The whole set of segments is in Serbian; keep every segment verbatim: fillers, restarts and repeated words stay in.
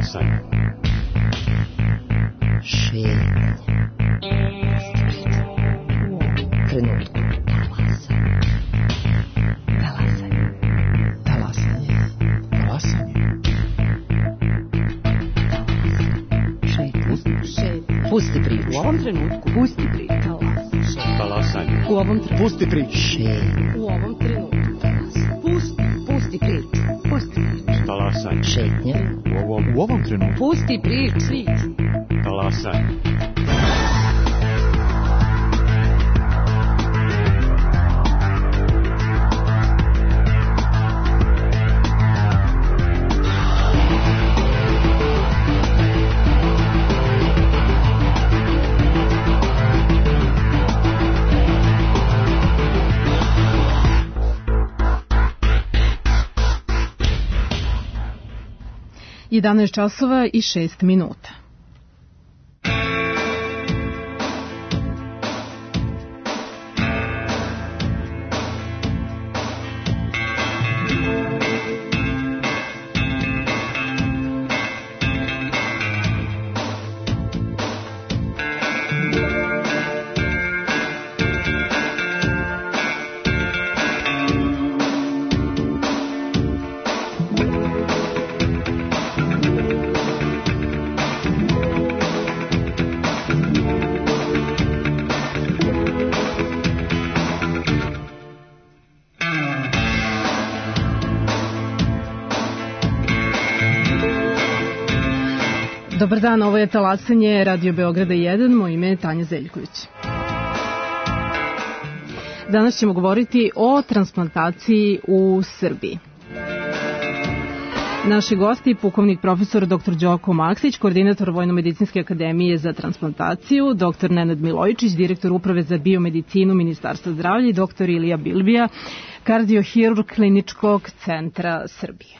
Talasaj. Šetnja. Trenutku. Talasaj. Talasaj. Talasaj. Pusti priču. U ovom trenutku. Pusti priču. Talasaj. U ovom trenutku. Pusti priču. U ovom trenutku. Pusti. Pusti priču. Pusti priču. Talasaj. Šetnja. U ovom, U ovom trenutku. Pusti priču. talasaj. jedanaest časova i šest minuta. Dobar dan, ovo je Talasanje Radio Beograda jedan, moje ime je Tanja Zeljković. Danas ćemo govoriti o transplantaciji u Srbiji. Naši gosti, pukovnik profesor doktor Đoko Maksić, koordinator Vojno-medicinske akademije za transplantaciju, doktor Nenad Milojičić, direktor uprave za biomedicinu Ministarstva zdravlja i doktor Ilija Bilbija, kardiohirurg Kliničkog centra Srbije.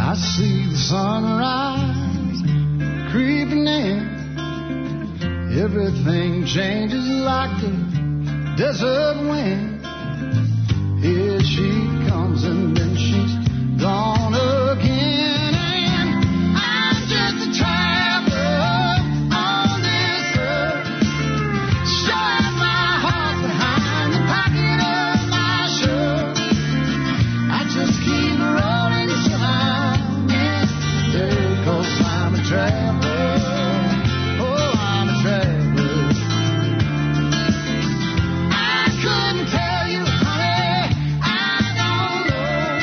I see the sunrise creeping in. Everything changes like the desert wind. Here she comes and then she's gone again. And I'm just a traveler on this earth, showing my heart behind the pocket of my shirt. I just keep rolling till I'm dead, 'cause I'm a traveler. Oh, I'm a traveler. I couldn't tell you, honey, I don't know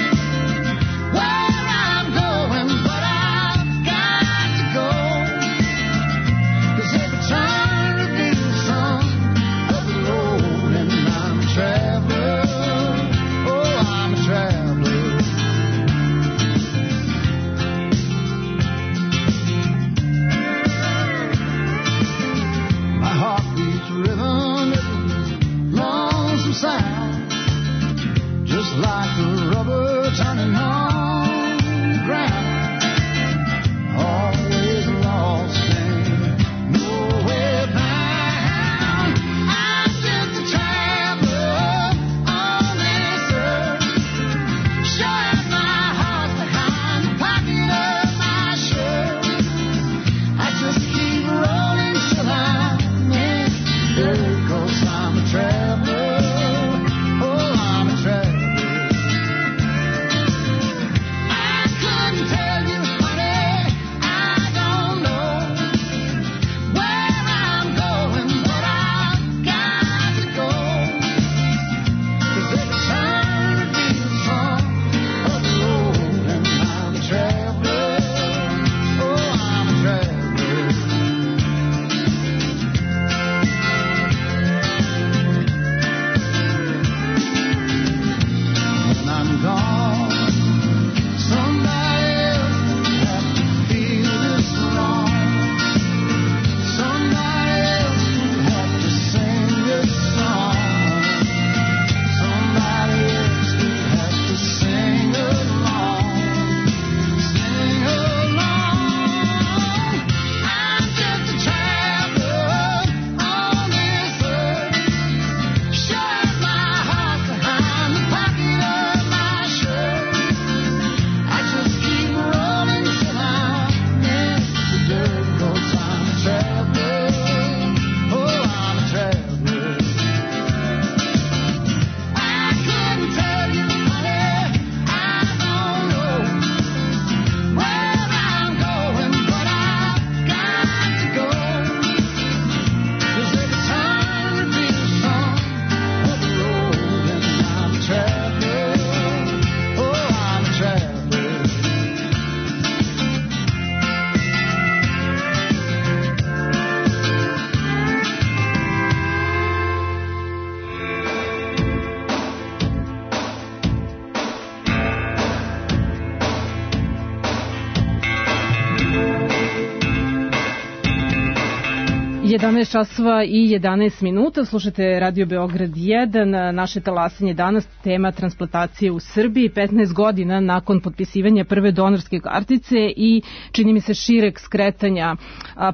jedanaest časova i jedanaest minuta, slušate Radio Beograd jedan, naše talasanje danas, tema transplantacije u Srbiji, petnaest godina nakon potpisivanja prve donorske kartice i čini mi se šireg skretanja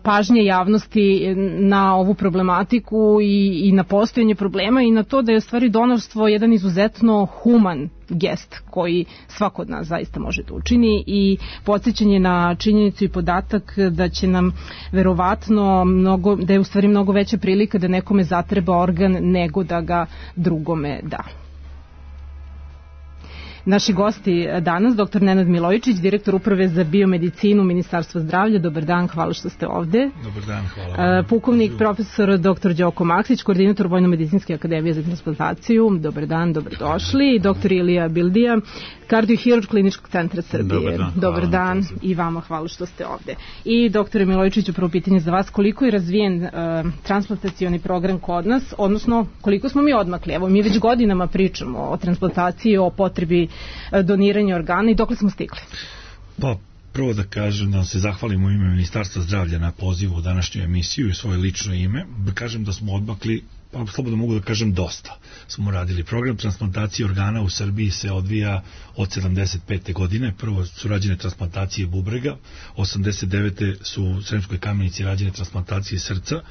pažnje javnosti na ovu problematiku i, i na postojanje problema i na to da je u stvari donorstvo jedan izuzetno human gest koji svako od nas zaista može da učini i podsjećanje na činjenicu i podatak da će nam verovatno mnogo, da je u stvari mnogo veća prilika da nekome zatreba organ nego da ga drugome da. Naši gosti danas, doktor Nenad Milojičić, direktor Uprave za biomedicinu Ministarstva zdravlja. Dobar dan, hvala što ste ovde. Dobar dan, hvala. Pukovnik profesor doktor Đoko Maksić, koordinator Vojno-medicinske akademije za transplantaciju. Dobar dan, dobrodošli. Doktor Ilija Bildija, kardiohirurg Kliničkog centra Srbije. Dobar dan, Dobar dan i vama hvala što ste ovde. I doktore Milojičiću, prvo pitanje za vas, koliko je razvijen uh, transplantacioni program kod nas, odnosno koliko smo mi odmakli? Evo, mi već godinama pričamo o transplantaciji, o potrebi doniranja organa i dokle smo stigli? Pa, prvo da kažem, da se zahvalim u ime Ministarstva zdravlja na pozivu u današnju emisiju i svoje lično ime. Da kažem da smo odmakli, pa slobodno mogu da kažem dosta. Smo radili program transplantacije organa u Srbiji se odvija od sedamdeset pete godine. Prvo su rađene transplantacije bubrega, osamdeset devete su u Sremskoj Kamenici rađene transplantacije srca.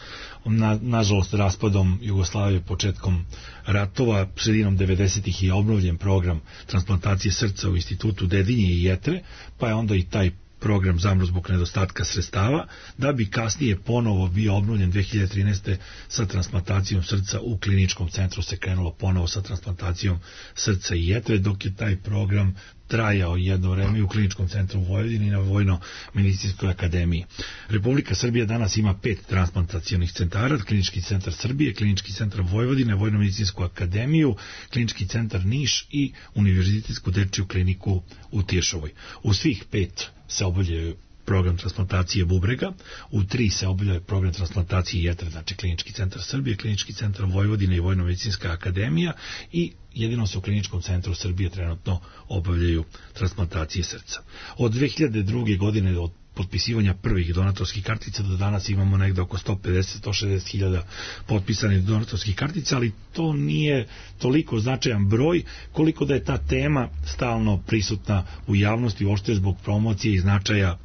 Na, nažalost, raspadom Jugoslavije, početkom ratova, sredinom devedesetih je obnovljen program transplantacije srca u institutu Dedinje i Jetre, pa je onda i taj program zamro zbog nedostatka sredstava, da bi kasnije ponovo bio obnovljen dve hiljade trinaeste. sa transplantacijom srca u kliničkom centru se krenulo ponovo sa transplantacijom srca i jetre, dok je taj program trajao jedno vreme u kliničkom centru u Vojvodini i na Vojno-medicinskoj akademiji. Republika Srbija danas ima pet transplantacionih centara, klinički centar Srbije, klinički centar Vojvodine, Vojno-medicinsku akademiju, klinički centar Niš i univerzitetsku dečiju kliniku u Tiršovoj. U svih pet se obavljaju program transplantacije bubrega, u tri se obavlja program transplantacije jetre, znači klinički centar Srbije, klinički centar Vojvodine i Vojno-medicinska akademija i jedino se u kliničkom centru Srbije trenutno obavljaju transplantacije srca. Od dve hiljade druge. godine od potpisivanja prvih donatorskih kartica do danas imamo negde oko sto pedeset do sto šezdeset hiljada potpisanih donatorskih kartica, ali to nije toliko značajan broj koliko da je ta tema stalno prisutna u javnosti, uopšte zbog promocije i značaja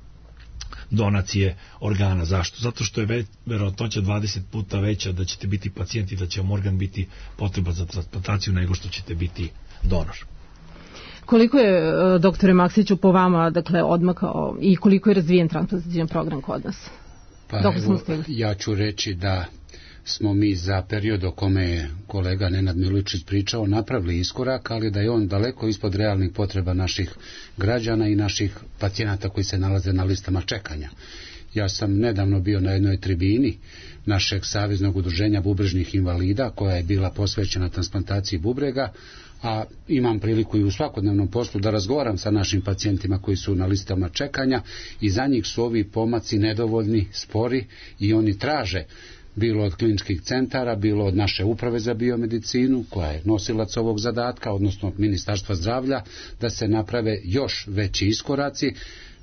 donacije organa. Zašto? Zato što je već, verovatnoća dvadeset puta veća da ćete biti pacijenti, da će vam organ biti potreban za transplantaciju nego što ćete biti donor. Koliko je, doktore Maksiću, po vama dakle, odmakao i koliko je razvijen transplantacioni program kod nas? Pa evo, ja ću reći da smo mi za period o kome je kolega Nenad Milojičić pričao napravili iskorak, ali da je on daleko ispod realnih potreba naših građana i naših pacijenata koji se nalaze na listama čekanja. Ja sam nedavno bio na jednoj tribini našeg saveznog udruženja bubrežnih invalida koja je bila posvećena transplantaciji bubrega, a imam priliku i u svakodnevnom poslu da razgovaram sa našim pacijentima koji su na listama čekanja i za njih su ovi pomaci nedovoljni, spori i oni traže bilo od kliničkih centara, bilo od naše uprave za biomedicinu, koja je nosilac ovog zadatka, odnosno od Ministarstva zdravlja, da se naprave još veći iskoraci,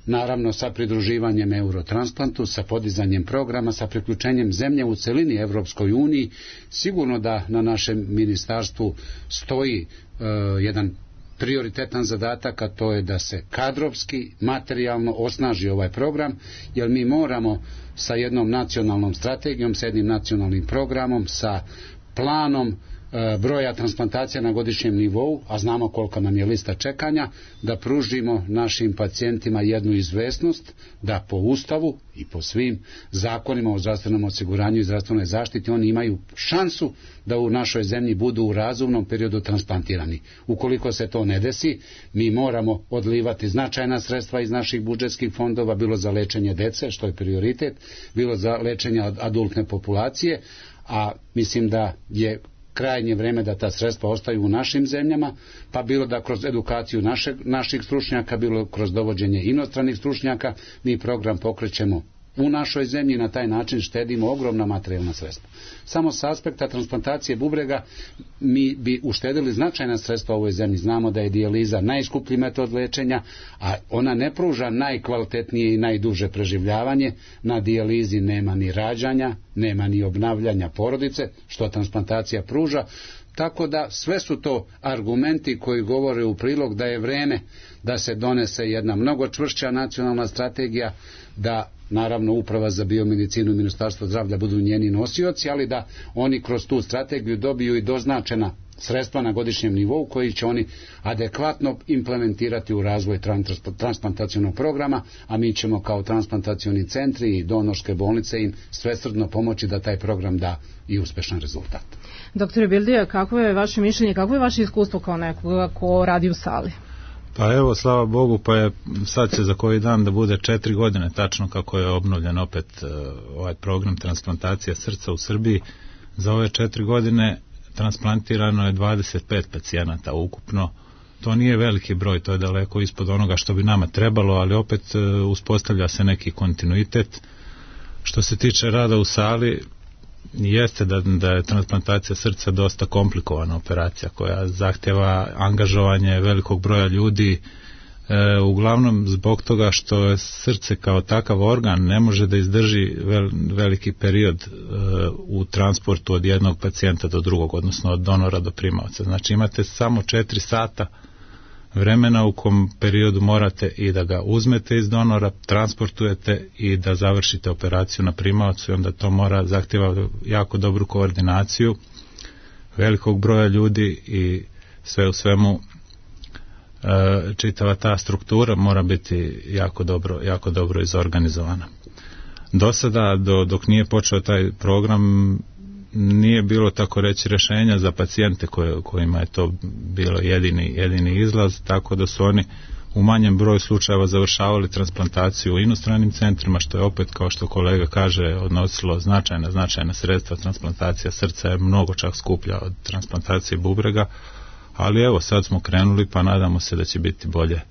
naravno sa pridruživanjem Eurotransplantu, sa podizanjem programa, sa priključenjem zemlje u celini Evropskoj uniji. Sigurno da na našem ministarstvu stoji e, jedan prioritetan zadatak, a to je da se kadrovski, materijalno osnaži ovaj program, jer mi moramo sa jednom nacionalnom strategijom, sa jednim nacionalnim programom, sa planom e, broja transplantacija na godišnjem nivou, a znamo koliko nam je lista čekanja, da pružimo našim pacijentima jednu izvesnost, da po Ustavu i po svim zakonima o zdravstvenom osiguranju i zdravstvenoj zaštiti oni imaju šansu da u našoj zemlji budu u razumnom periodu transplantirani. Ukoliko se to ne desi, mi moramo odlivati značajna sredstva iz naših budžetskih fondova, bilo za lečenje dece, što je prioritet, bilo za lečenje adultne populacije, a mislim da je krajnje vreme da ta sredstva ostaju u našim zemljama, pa bilo da kroz edukaciju našeg, naših stručnjaka, bilo kroz dovođenje inostranih stručnjaka, mi program pokrećemo u našoj zemlji, na taj način štedimo ogromna materijalna sredstva. Samo s aspekta transplantacije bubrega mi bi uštedili značajna sredstva u ovoj zemlji. Znamo da je dijaliza najskuplji metod lečenja, a ona ne pruža najkvalitetnije i najduže preživljavanje. Na dijalizi nema ni rađanja, nema ni obnavljanja porodice, što transplantacija pruža. Tako da sve su to argumenti koji govore u prilog da je vreme da se donese jedna mnogo čvršća nacionalna strategija, da naravno Uprava za biomedicinu i Ministarstvo zdravlja budu njeni nosioci, ali da oni kroz tu strategiju dobiju i doznačena sredstva na godišnjem nivou koji će oni adekvatno implementirati u razvoj transplantacionog programa, a mi ćemo kao transplantacioni centri i donorske bolnice im svesrdno pomoći da taj program da i uspešan rezultat. Doktore Bildija, kako je vaše mišljenje, kako je vaše iskustvo kao nekoga ko radi u sali? Pa evo, slava Bogu, pa je sad će za koji dan da bude četiri godine tačno kako je obnovljen opet uh, ovaj program transplantacija srca u Srbiji. Za ove četiri godine transplantirano je dvadeset pet pacijenata ukupno. To nije veliki broj, to je daleko ispod onoga što bi nama trebalo, ali opet uh, uspostavlja se neki kontinuitet. Što se tiče rada u sali, jeste da, da je transplantacija srca dosta komplikovana operacija koja zahtjeva angažovanje velikog broja ljudi, e, uglavnom zbog toga što je srce kao takav organ ne može da izdrži vel, veliki period e, u transportu od jednog pacijenta do drugog, odnosno od donora do primaoca. Znači imate samo četiri sata vremena u kom periodu morate i da ga uzmete iz donora, transportujete i da završite operaciju na primaocu, i onda to mora zahtjeva jako dobru koordinaciju velikog broja ljudi i sve u svemu e, čitava ta struktura mora biti jako dobro, jako dobro izorganizovana. Do sada, do, dok nije počeo taj program, nije bilo tako reći rješenja za pacijente koje, kojima je to bilo jedini, jedini izlaz, tako da su oni u manjem broju slučajeva završavali transplantaciju u inostranim centrima, što je opet, kao što kolega kaže, odnosilo značajna, značajna sredstva. Transplantacija srca je mnogo čak skuplja od transplantacije bubrega, ali evo sad smo krenuli pa nadamo se da će biti bolje,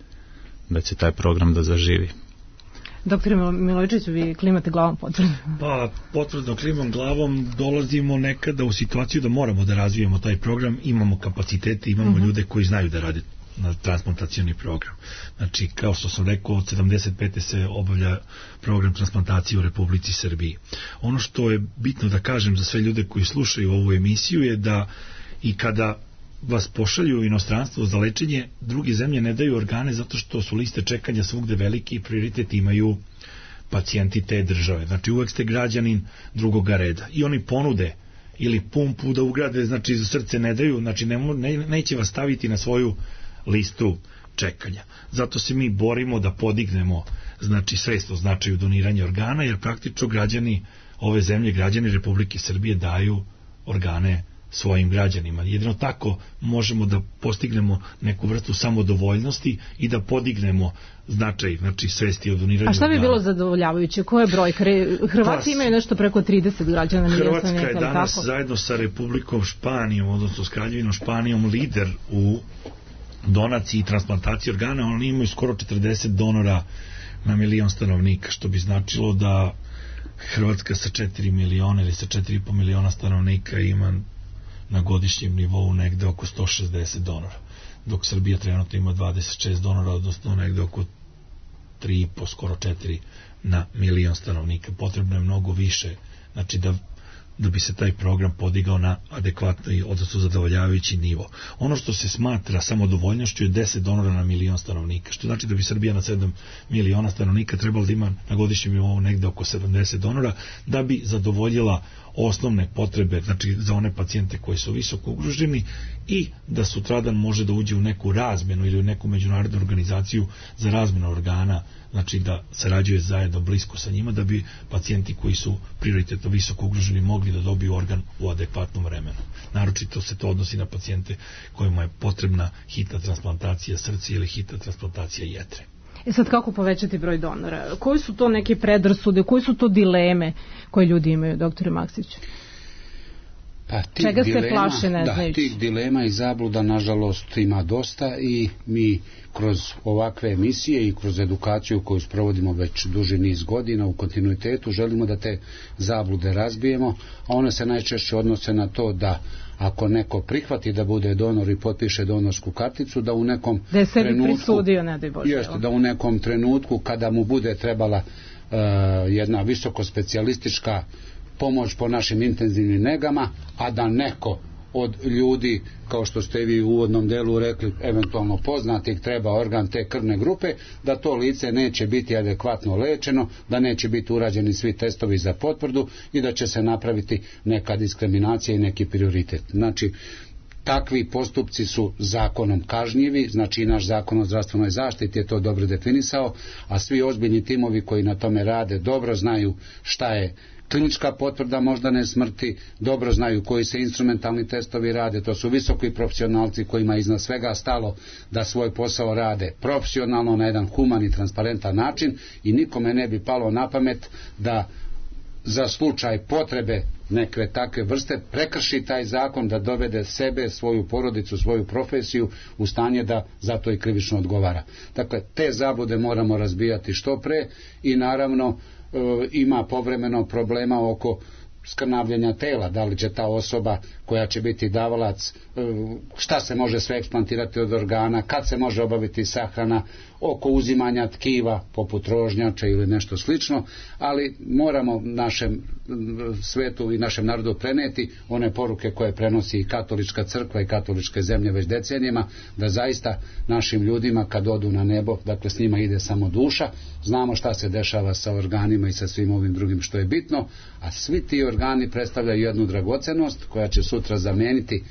da će taj program da zaživi. Doktore Milojičić, vi klimate glavom potvrdno. Pa, potvrdno klimam glavom, dolazimo nekada u situaciju da moramo da razvijemo taj program, imamo kapacitete, imamo uh-huh. ljude koji znaju da rade na transplantacioni program. Znači, kao što sam rekao, od sedamdeset pete se obavlja program transplantacije u Republici Srbiji. Ono što je bitno da kažem za sve ljude koji slušaju ovu emisiju je da i kada vas pošalju u inostranstvo za lečenje, druge zemlje ne daju organe zato što su liste čekanja svugde veliki i prioritet imaju pacijenti te države. Znači uvek ste građanin drugoga reda i oni ponude ili pumpu da ugrade, znači za srce ne daju, znači ne, ne, neće vas staviti na svoju listu čekanja. Zato se mi borimo da podignemo znači svest o značaju doniranja organa, jer praktično građani ove zemlje, građani Republike Srbije daju organe svojim građanima. Jedino tako možemo da postignemo neku vrstu samodovoljnosti i da podignemo značaj, znači svesti o doniranju. A šta bi organa. bilo zadovoljavajuće? Koja je brojka? Hrvatski pa, imaju nešto preko trideset građana. Hrvatska je danas tako? Zajedno sa Republikom Španijom, odnosno s Kraljevinom Španijom, lider u donaciji i transplantaciji organa. Oni imaju skoro četrdeset donora na milion stanovnika, što bi značilo da Hrvatska sa četiri miliona ili sa četiri i po miliona stanovnika ima na godišnjem nivou negde oko sto šezdeset donora, dok Srbija trenutno ima dvadeset šest donora, odnosno negde oko tri i po, skoro četiri na milion stanovnika. Potrebno je mnogo više, znači da, da bi se taj program podigao na adekvatni, odnosno zadovoljavajući nivo. Ono što se smatra samodovoljnošću je deset donora na milion stanovnika, što znači da bi Srbija na sedam miliona stanovnika trebalo da ima na godišnjem nivou negde oko sedamdeset donora, da bi zadovoljila osnovne potrebe, znači za one pacijente koji su visoko ugroženi i da sutradan može da uđe u neku razmenu ili u neku međunarodnu organizaciju za razmenu organa, znači da sarađuje zajedno blisko sa njima, da bi pacijenti koji su prioritetno visoko ugroženi mogli da dobiju organ u adekvatnom vremenu. Naročito se to odnosi na pacijente kojima je potrebna hitna transplantacija srca ili hitna transplantacija jetre. E sad, kako povećati broj donora? Koji su to neke predrasude, koji su to dileme koje ljudi imaju, doktore Maksiću? Pa, Čega dilema, se plaše, ne da, znajući? tih dilema i zabluda nažalost ima dosta i mi kroz ovakve emisije i kroz edukaciju koju sprovodimo već duži niz godina u kontinuitetu želimo da te zablude razbijemo, a one se najčešće odnose na to da ako neko prihvati da bude donor i potpiše donorsku karticu, da u nekom da je sebi trenutku, prisudio, ne daj Bože. Jeste, da u nekom trenutku kada mu bude trebala uh, jedna visoko specijalistička pomoć po našim intenzivnim negama, a da neko od ljudi, kao što ste vi u uvodnom delu rekli, eventualno poznatih, treba organ te krvne grupe, da to lice neće biti adekvatno lečeno, da neće biti urađeni svi testovi za potvrdu i da će se napraviti neka diskriminacija i neki prioritet. Znači, takvi postupci su zakonom kažnjivi, znači i naš zakon o zdravstvenoj zaštiti je to dobro definisao, a svi ozbiljni timovi koji na tome rade dobro znaju šta je klinička potvrda moždane smrti, dobro znaju koji se instrumentalni testovi rade, to su visoki profesionalci kojima je iznad svega stalo da svoj posao rade profesionalno na jedan human i transparentan način i nikome ne bi palo na pamet da za slučaj potrebe neke takve vrste prekrši taj zakon, da dovede sebe, svoju porodicu, svoju profesiju u stanje da zato i krivično odgovara. Dakle, te zablude moramo razbijati što pre i naravno e, ima povremeno problema oko skrnavljenja tela, da li će ta osoba koja će biti davalac, šta se može sve eksplantirati od organa, kad se može obaviti sahrana, oko uzimanja tkiva poput rožnjače ili nešto slično, ali moramo našem svetu i našem narodu preneti one poruke koje prenosi i katolička crkva i katoličke zemlje već decenijama, da zaista našim ljudima kad odu na nebo, dakle s njima ide samo duša, znamo šta se dešava sa organima i sa svim ovim drugim što je bitno, a svi ti organi predstavljaju jednu dragocenost koja će sutra zameniti,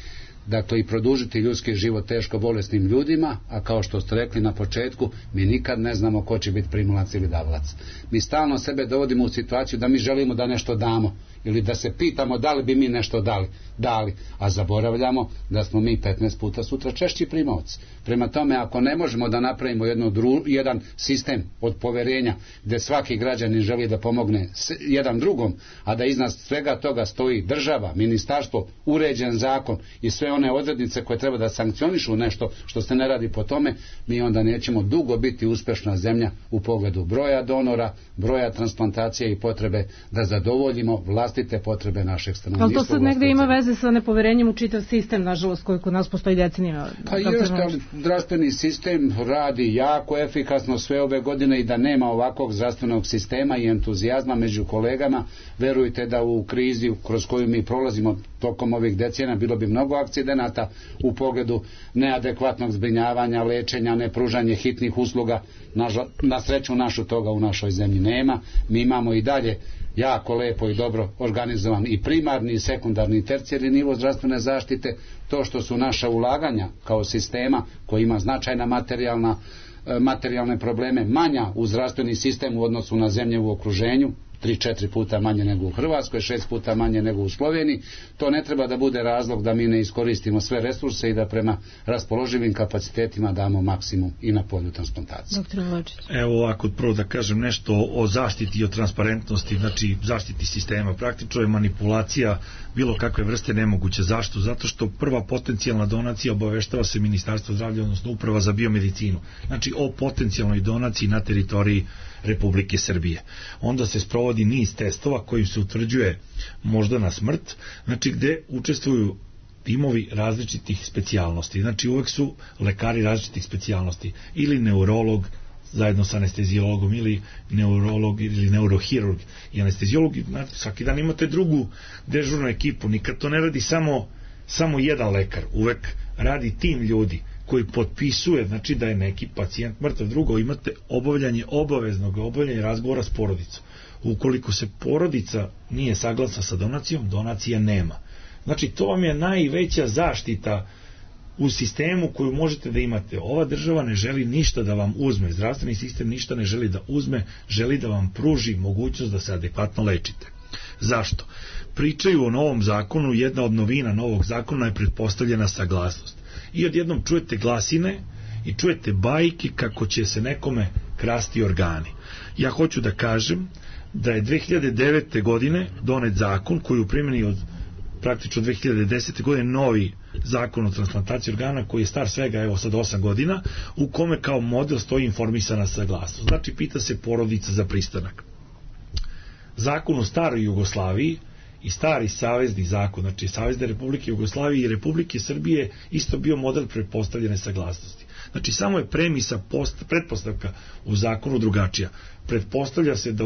dakle i produžiti ljudski život teško bolesnim ljudima, a kao što ste rekli na početku, mi nikad ne znamo ko će biti primalac ili davalac. Mi stalno sebe dovodimo u situaciju da mi želimo da nešto damo ili da se pitamo da li bi mi nešto dali, dali, a zaboravljamo da smo mi petnaest puta sutra češći primaoci. Prema tome, ako ne možemo da napravimo jedno dru, jedan sistem od poverenja gdje svaki građanin želi da pomogne jedan drugom, a da iznad svega toga stoji država, ministarstvo, uređen zakon i sve one odrednice koje treba da sankcionišu nešto što se ne radi po tome, mi onda nećemo dugo biti uspešna zemlja u pogledu broja donora, broja transplantacije i potrebe da zadovoljimo vlastite potrebe našeg stanovništva. Ali to sad negde ima veze sa nepoverenjem u čitav sistem, nažalost, koji kod nas postoji decenijama. Pa jeste, ali zdravstveni sistem radi jako efikasno sve ove godine i da nema ovakvog zdravstvenog sistema i entuzijazma među kolegama, verujte da u krizi kroz koju mi prolazimo tokom ovih decenija bilo bi mnogo akcidenata u pogledu neadekvatnog zbrinjavanja, lečenja, nepružanje hitnih usluga. Na, na sreću našu toga u našoj zemlji nema. Mi imamo i dalje jako lepo i dobro organizovan i primarni i sekundarni i tercijarni nivo zdravstvene zaštite. To što su naša ulaganja kao sistema koji ima značajna materijalna, materijalne probleme manja u zdravstveni sistem u odnosu na zemlje u okruženju, tri četiri puta manje nego u Hrvatskoj, šest puta manje nego u Sloveniji, to ne treba da bude razlog da mi ne iskoristimo sve resurse i da prema raspoloživim kapacitetima damo maksimum i na polju transplantacije. Doktor Milojičić. Evo ovako, prvo da kažem nešto o zaštiti i o transparentnosti, znači zaštiti sistema. Praktično je manipulacija bilo kakve vrste nemoguće. Zašto? Zato što prva potencijalna donacija obaveštava se Ministarstvo zdravlja, odnosno Uprava za biomedicinu. Znači o potencijalnoj donaciji na teritoriji Republike Srbije. Onda se sprovodi niz testova kojim se utvrđuje moždana smrt, znači gde učestvuju timovi različitih specijalnosti. Znači uvek su lekari različitih specijalnosti, ili neurolog zajedno sa anestezijologom, ili neurolog ili neurohirurg i anestezijolog. Znači, svaki dan imate drugu dežurnu ekipu, nikad to ne radi samo, samo jedan lekar, uvek radi tim ljudi koji potpisuje, znači da je neki pacijent mrtav. Drugo, imate obavljanje obaveznog obavljanja razgovora s porodicom. Ukoliko se porodica nije saglasna sa donacijom, donacija nema. Znači to vam je najveća zaštita u sistemu koju možete da imate. Ova država ne želi ništa da vam uzme, zdravstveni sistem ništa ne želi da uzme, želi da vam pruži mogućnost da se adekvatno lečite. Zašto? Pričaju o novom zakonu, jedna od novina novog zakona je pretpostavljena saglasnost. I odjednom čujete glasine i čujete bajke kako će se nekome krasti organi. Ja hoću da kažem da je dve hiljade devete godine donet zakon koji u primjeni od praktično dve hiljade desete. godine novi zakon o transplantaciji organa koji je star svega evo sad osam godina, u kome kao model stoji informisana saglasnost. Znači pita se porodica za pristanak. Zakon o staroj Jugoslaviji i stari savezni zakon, znači Savezne Republike Jugoslavije i Republike Srbije isto bio model pretpostavljene saglasnosti. Znači samo je premisa, post, pretpostavka u zakonu drugačija. Pretpostavlja se da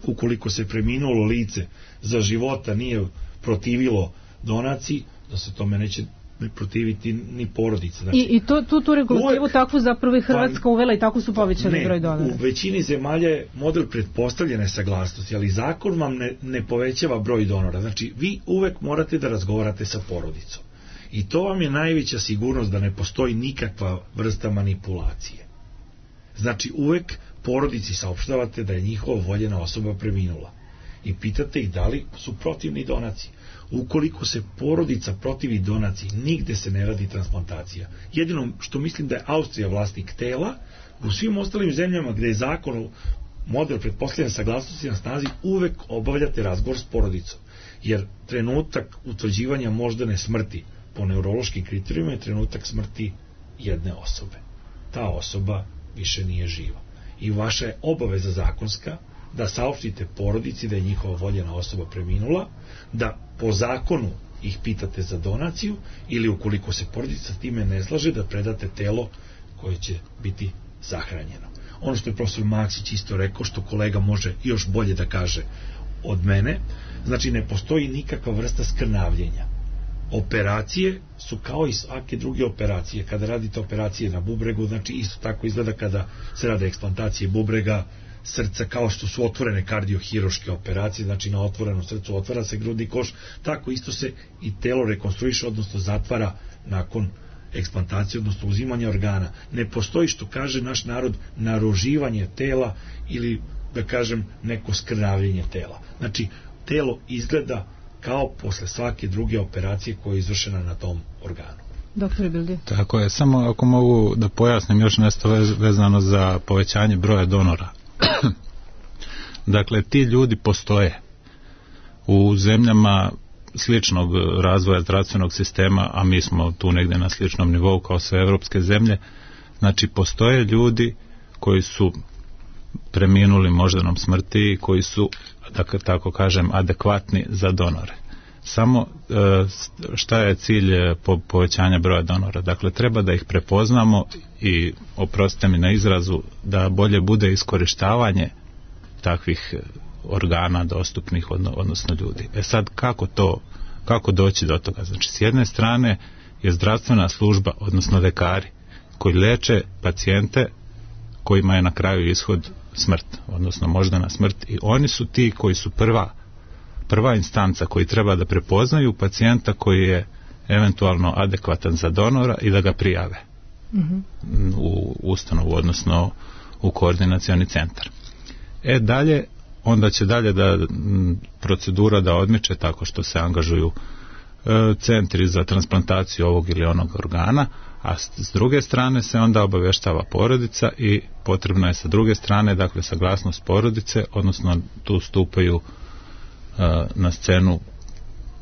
ukoliko se preminulo lice za života nije protivilo donaciji, da se tome neće protiviti ni porodica. Znači, I, i to, tu, tu regulativu uvek, takvu zapravo i Hrvatska pa, uvela i tako su povećali ne, broj donora. U većini zemalja je model pretpostavljene saglasnosti, ali zakon vam ne, ne povećava broj donora. Znači vi uvek morate da razgovarate sa porodicom. I to vam je najveća sigurnost da ne postoji nikakva vrsta manipulacije. Znači uvek porodici saopštavate da je njihova voljena osoba preminula. I pitate ih da li su protivni donaciji. Ukoliko se porodica protivi donaciji, nigde se ne radi transplantacija. Jedino što mislim da je Austrija vlasnik tela, u svim ostalim zemljama gde je zakon model pretpostavljene saglasnosti na snazi, uvek obavljate razgovor s porodicom. Jer trenutak utvrđivanja moždane smrti po neurološkim kriterijima je trenutak smrti jedne osobe. Ta osoba više nije živa. I vaša je obaveza zakonska da saopštite porodici da je njihova voljena osoba preminula, da po zakonu ih pitate za donaciju ili ukoliko se porodica s time ne slaže da predate telo koje će biti sahranjeno. Ono što je profesor Maksić isto rekao, što kolega može još bolje da kaže od mene, znači ne postoji nikakva vrsta skrnavljenja. Operacije su kao i svake druge operacije. Kada radite operacije na bubregu, znači isto tako izgleda kada se rade eksplantacije bubrega, srca, kao što su otvorene kardiohiruške operacije, znači na otvorenom srcu otvara se grudni koš, tako isto se i telo rekonstruiše, odnosno zatvara nakon eksplantacije, odnosno uzimanja organa. Ne postoji, što kaže naš narod, naruživanje tela ili, da kažem, neko skrnavljenje tela. Znači, telo izgleda kao posle svake druge operacije koja je izvršena na tom organu. Doktor Bildi. Tako je, samo ako mogu da pojasnim još nešto vezano za povećanje broja donora. Dakle, ti ljudi postoje u zemljama sličnog razvoja zdravstvenog sistema, a mi smo tu negde na sličnom nivou kao sve evropske zemlje. Znači, postoje ljudi koji su preminuli moždanom smrti, koji su, da tako kažem, adekvatni za donore. Samo šta je cilj povećanja broja donora? Dakle, treba da ih prepoznamo i, oprostite mi na izrazu, da bolje bude iskorištavanje takvih organa dostupnih, odnosno ljudi. E sad, kako to, kako doći do toga? Znači, s jedne strane je zdravstvena služba, odnosno lekari, koji leče pacijente kojima je na kraju ishod smrt, odnosno moždana smrt, i oni su ti koji su prva prva instanca koji treba da prepoznaju pacijenta koji je eventualno adekvatan za donora i da ga prijave mm-hmm. u ustanovu, odnosno u koordinacioni centar. E dalje, onda će dalje da procedura da odmiče tako što se angažuju e, centri za transplantaciju ovog ili onog organa, a s, s druge strane se onda obavještava porodica i potrebno je sa druge strane, dakle, saglasnost porodice, odnosno tu stupaju na scenu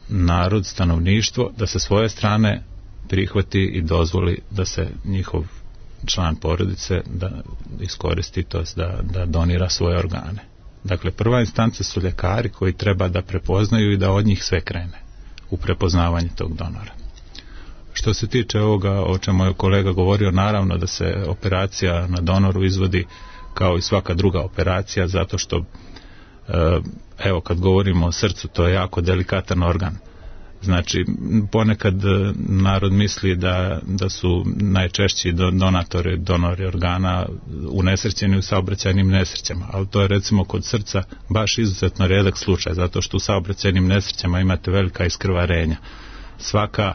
narod, stanovništvo, da sa svoje strane prihvati i dozvoli da se njihov član porodice da iskoristi, to jest da, da donira svoje organe. Dakle, prva instanca su ljekari koji treba da prepoznaju i da od njih sve krene u prepoznavanje tog donora. Što se tiče ovoga o čemu je kolega govorio, naravno da se operacija na donoru izvodi kao i svaka druga operacija, zato što evo, kad govorimo o srcu, to je jako delikatan organ. Znači, ponekad narod misli da, da su najčešći donatori, donori organa unesrećeni u saobraćajnim nesrećama, ali to je recimo kod srca baš izuzetno redak slučaj, zato što u saobraćajnim nesrećama imate velika iskrvarenja. Svaka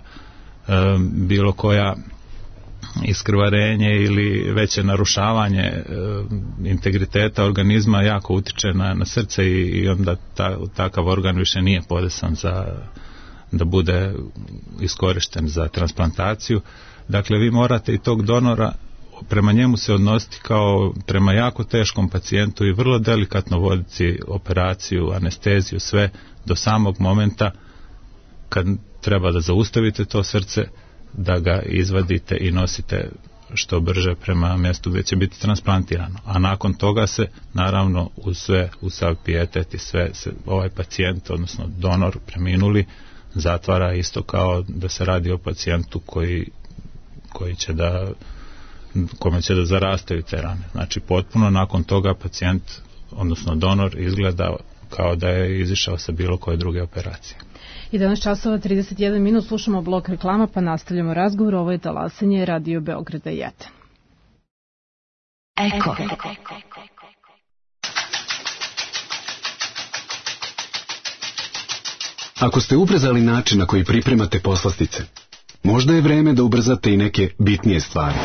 e, bilo koja iskrvarenje ili veće narušavanje e, integriteta organizma jako utiče na, na srce i, i onda ta, takav organ više nije podesan za da bude iskorišten za transplantaciju. Dakle, vi morate i tog donora prema njemu se odnositi kao prema jako teškom pacijentu i vrlo delikatno voditi operaciju, anesteziju, sve do samog momenta kad treba da zaustavite to srce, da ga izvadite i nosite što brže prema mjestu gdje će biti transplantirano. A nakon toga se, naravno, uz sve, uz sav pijetet i sve, se ovaj pacijent, odnosno donor preminuli, zatvara isto kao da se radi o pacijentu koji, koji će da, kome će da zarastaju te rane. Znači, potpuno nakon toga pacijent, odnosno donor, izgleda kao da je izišao sa bilo koje druge operacije. jedanaest časova trideset jedan minut, slušamo blok reklama pa nastavljamo razgovor. Ovo je talasanje Radio Beograda jedan. Eko. Ako ste ubrzali način na koji pripremate poslastice, možda je vreme da ubrzate i neke bitnije stvari.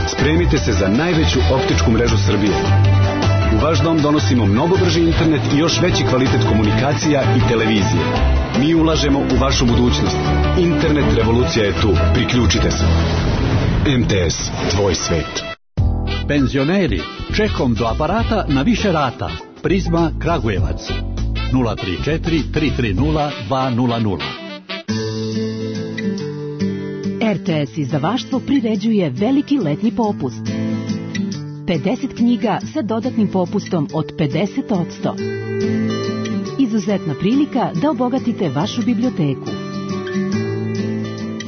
Spremite se za najveću optičku mrežu Srbije. U vaš dom donosimo mnogo brži internet i još veći kvalitet komunikacija i televizije. Mi ulažemo u vašu budućnost. Internet revolucija je tu. Priključite se. M T S, tvoj svet. Penzioneri, čekom do aparata na više rata. Prizma Kragujevac. nula tri četiri tri tri nula dva nula nula. R T S izdavaštvo priređuje veliki letnji popust. pedeset knjiga sa dodatnim popustom od pedeset posto. Izuzetna prilika da obogatite vašu biblioteku.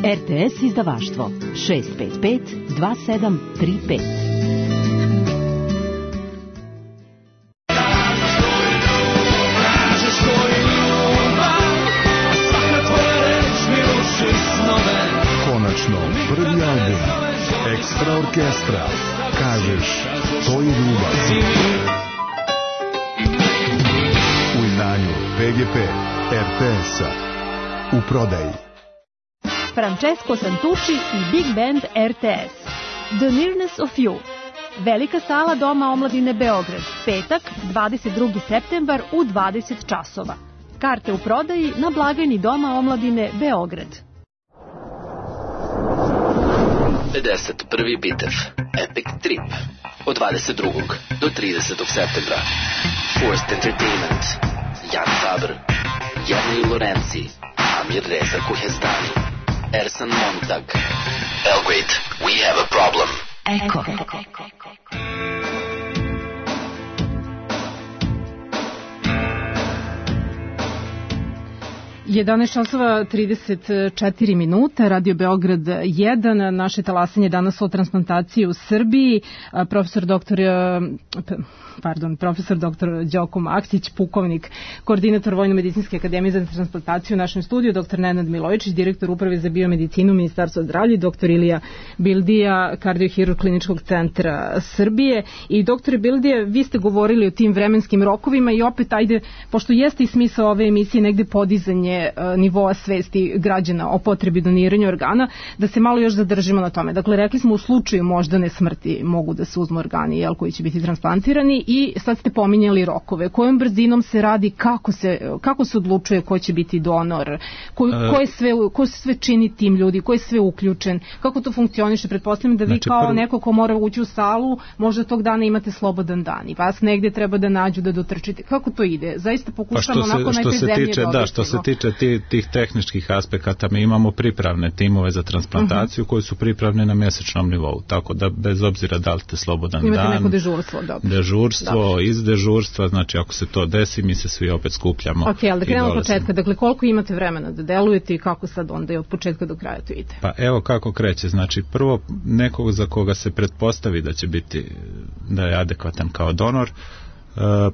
R T S izdavaštvo šest pet pet dva sedam tri pet. Konačno, prvi album Ekstra orkestra. Kažeš, to je ljubav. U izdanju P G P R T S-a. U prodaji Francesco Santucci i Big Band R T S. The Nearness of You. Velika sala Doma omladine Beograd. Petak, dvadeset drugi septembar u dvadeset časova. Karte u prodaji na blagajni Doma omladine Beograd. pedeset prvi bitev Epic Trip od dvadeset drugog do tridesetog septembra. Forced Entertainment, Jan Faber, Jernej Lorenzi, Amir Reza Kuhestani, Ersan Montag. Belgrade, we have a problem. Eko. jedanaest časova trideset četiri minuta, Radio Beograd jedan, naše talasanje danas o transplantaciji u Srbiji. Profesor doktor pardon, profesor doktor Đoko Maksić, pukovnik, koordinator Vojno-medicinske akademije za transplantaciju u našem studiju, doktor Nenad Milojičić, direktor Uprave za biomedicinu Ministarstva zdravlja, doktor Ilija Bildija, kardiohirurg Kliničkog centra Srbije. I doktore Bildija, vi ste govorili o tim vremenskim rokovima i opet, ajde, pošto jeste i smisao ove emisije negde podizanje nivoa svesti građana o potrebi doniranja organa, da se malo još zadržimo na tome. Dakle, rekli smo u slučaju moždane smrti mogu da se uzmu organi, jel, koji će biti transplantirani, i sad ste pominjali rokove. Kojom brzinom se radi, kako se, kako se odlučuje ko će biti donor, ko, ko, je sve, ko se sve čini tim ljudi, ko je sve uključen, kako to funkcioniše? Pretpostavljam da vi znači, kao prvo... neko ko mora ući u salu, možda tog dana imate slobodan dan i vas negde treba da nađu da dotrčite. Kako to ide? Zaista pokušamo pa onako najprej zemlje tiče, da, što se tiče tih, tih tehničkih aspekata, mi imamo pripravne timove za transplantaciju uh-huh. koji su pripravne na mjesečnom nivou, tako da bez obzira da li ste slobodan imate dan, neko dežurstvo, dobro. dežurstvo, dobro. Iz dežurstva, znači ako se to desi, mi se svi opet skupljamo. Ok, ali da krenemo od početka, dakle koliko imate vremena da delujete i kako sad onda je od početka do kraja to ide? Pa evo kako kreće, znači prvo nekog za koga se pretpostavi da će biti, da je adekvatan kao donor,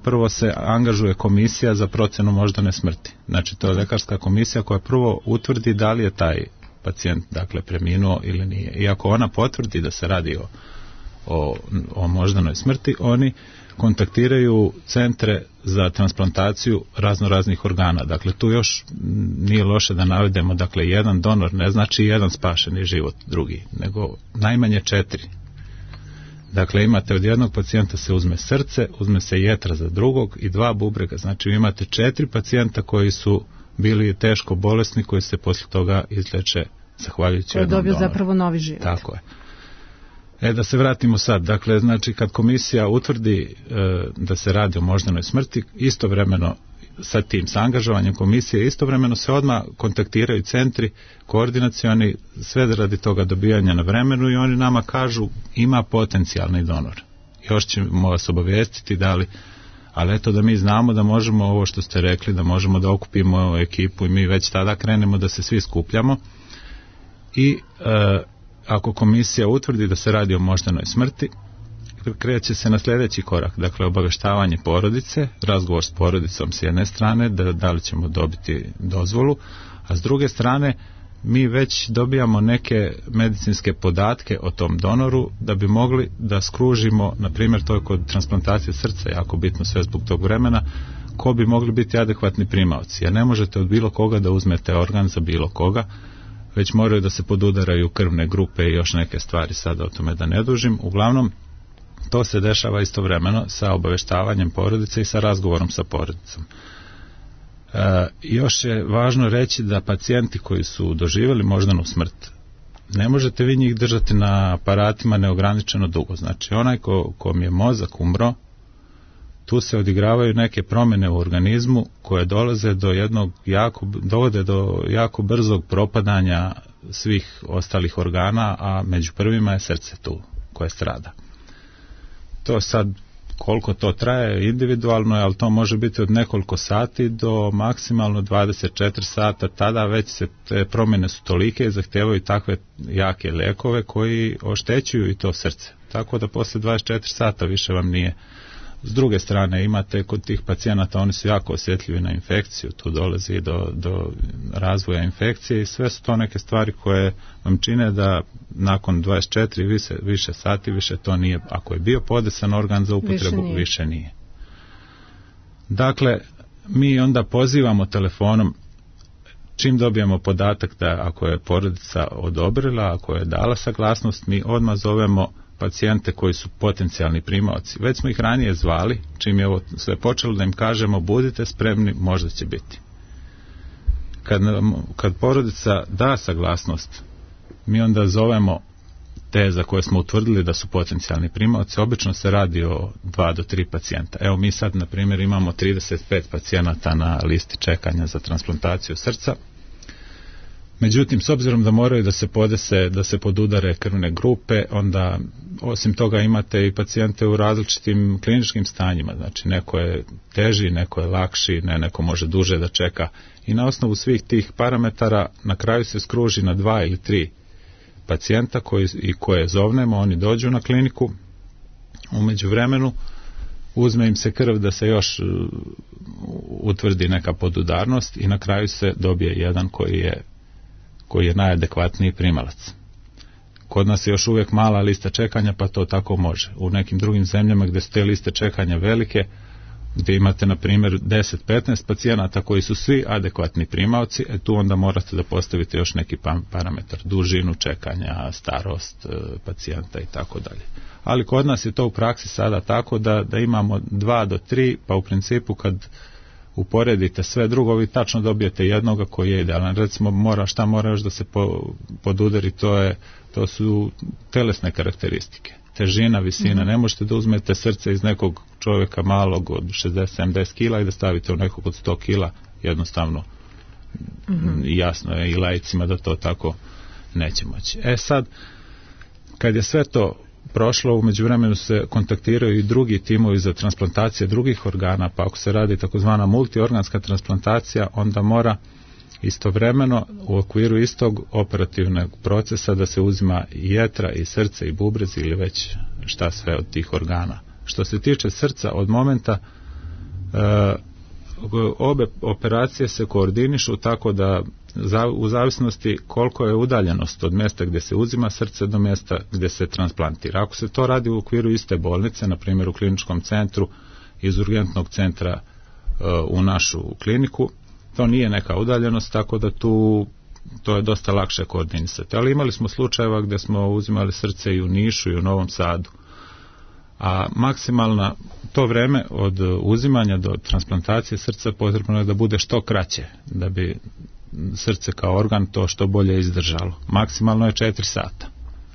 prvo se angažuje komisija za procenu moždane smrti. Znači to je lekarska komisija koja prvo utvrdi da li je taj pacijent dakle preminuo ili nije. I ako ona potvrdi da se radi o, o, o moždanoj smrti, oni kontaktiraju centre za transplantaciju razno raznih organa. Dakle tu još nije loše da navedemo, dakle jedan donor ne znači jedan spašeni život drugi, nego najmanje četiri. Dakle, imate od jednog pacijenta se uzme srce, uzme se jetra za drugog i dva bubrega. Znači, imate četiri pacijenta koji su bili teško bolesni, koji se poslije toga izleče zahvaljujući jednom donoru. Koji je dobio zapravo novi život. Tako je. E, da se vratimo sad. Dakle, znači, kad komisija utvrdi e, da se radi o moždanoj smrti, istovremeno sa tim, sa angažovanjem komisije, istovremeno se odmah kontaktiraju centri koordinacioni, sve radi toga dobijanja na vremenu, i oni nama kažu ima potencijalni donor. Još ćemo vas obavijestiti da li, ali eto da mi znamo da možemo ovo što ste rekli, da možemo da okupimo ekipu i mi već tada krenemo da se svi skupljamo i e, ako komisija utvrdi da se radi o moždanoj smrti, kreće se na sljedeći korak, dakle obaveštavanje porodice, razgovor s porodicom s jedne strane, da, da li ćemo dobiti dozvolu, a s druge strane mi već dobijamo neke medicinske podatke o tom donoru da bi mogli da skružimo, na primjer to je kod transplantacije srca jako bitno sve zbog tog vremena, ko bi mogli biti adekvatni primaoci, jer ne možete od bilo koga da uzmete organ za bilo koga, već moraju da se podudaraju krvne grupe i još neke stvari, sada o tome da ne dužim. Uglavnom, to se dešava istovremeno sa obaveštavanjem porodice i sa razgovorom sa porodicom. E, još je važno reći da pacijenti koji su doživjeli moždanu smrt, ne možete vi njih držati na aparatima neograničeno dugo. Znači, onaj ko, kom je mozak umro, tu se odigravaju neke promjene u organizmu koje dolaze do jednog jako, dovode do jako brzog propadanja svih ostalih organa, a među prvima je srce tu koje strada. To sad, koliko to traje, individualno je, ali to može biti od nekoliko sati do maksimalno dvadeset četiri sata, tada već se te promjene su tolike i zahtijevaju takve jake lijekove koji oštećuju i to srce. Tako da poslije dvadeset četiri sata više vam nije. S druge strane, imate kod tih pacijenata, oni su jako osjetljivi na infekciju, tu dolazi do, do razvoja infekcije i sve su to neke stvari koje vam čine da nakon dvadeset četiri više, više sati više to nije, ako je bio podesan organ za upotrebu, više nije. više nije. Dakle, mi onda pozivamo telefonom, čim dobijemo podatak da ako je porodica odobrila, ako je dala saglasnost, mi odmah zovemo pacijente koji su potencijalni primaoci. Već smo ih ranije zvali, čim je ovo sve počelo, da im kažemo budite spremni, možda će biti. Kad, kad porodica da saglasnost, mi onda zovemo te za koje smo utvrdili da su potencijalni primaoci. Obično se radi o dva do tri pacijenta. Evo mi sad, na primjer, imamo trideset pet pacijenata na listi čekanja za transplantaciju srca. Međutim, s obzirom da moraju da se podese, da se podudare krvne grupe, onda osim toga imate i pacijente u različitim kliničkim stanjima. Znači, neko je teži, neko je lakši, ne, neko može duže da čeka. I na osnovu svih tih parametara na kraju se skruži na dva ili tri pacijenta koji, i koje zovnemo, oni dođu na kliniku, u međuvremenu uzme im se krv da se još utvrdi neka podudarnost i na kraju se dobije jedan koji je koji je najadekvatniji primalac. Kod nas je još uvijek mala lista čekanja, pa to tako može. U nekim drugim zemljama gdje su te liste čekanja velike, gdje imate na primjer deset do petnaest pacijenata koji su svi adekvatni primaoci, e tu onda morate da postavite još neki parametar, dužinu čekanja, starost pacijenta i tako dalje. Ali kod nas je to u praksi sada tako da, da imamo dva do tri, pa u principu kad uporedite sve drugo, vi tačno dobijete jednoga koji je idealan. Recimo, mora, šta mora još da se po, podudari, to, je, to su telesne karakteristike. Težina, visina, mm-hmm. ne možete da uzmete srce iz nekog čovjeka malog od šezdeset do sedamdeset kila i da stavite u nekog od sto kila, jednostavno mm-hmm. jasno je i laicima da to tako neće moći. E sad, kad je sve to prošlo, u međuvremenu se kontaktiraju i drugi timovi za transplantacije drugih organa, pa ako se radi takozvana multiorganska transplantacija, onda mora istovremeno u okviru istog operativnog procesa da se uzima i jetra i srce i bubrez ili već šta sve od tih organa. Što se tiče srca, od momenta e, obe operacije se koordinišu tako da za, u zavisnosti koliko je udaljenost od mjesta gdje se uzima srce do mjesta gdje se transplantira. Ako se to radi u okviru iste bolnice, na primjer u kliničkom centru, iz urgentnog centra e, u našu kliniku, to nije neka udaljenost, tako da tu to je dosta lakše koordinisati. Ali imali smo slučajeva gdje smo uzimali srce i u Nišu i u Novom Sadu. A maksimalna to vreme od uzimanja do transplantacije srca potrebno je da bude što kraće, da bi srce kao organ to što bolje izdržalo. Maksimalno je četiri sata.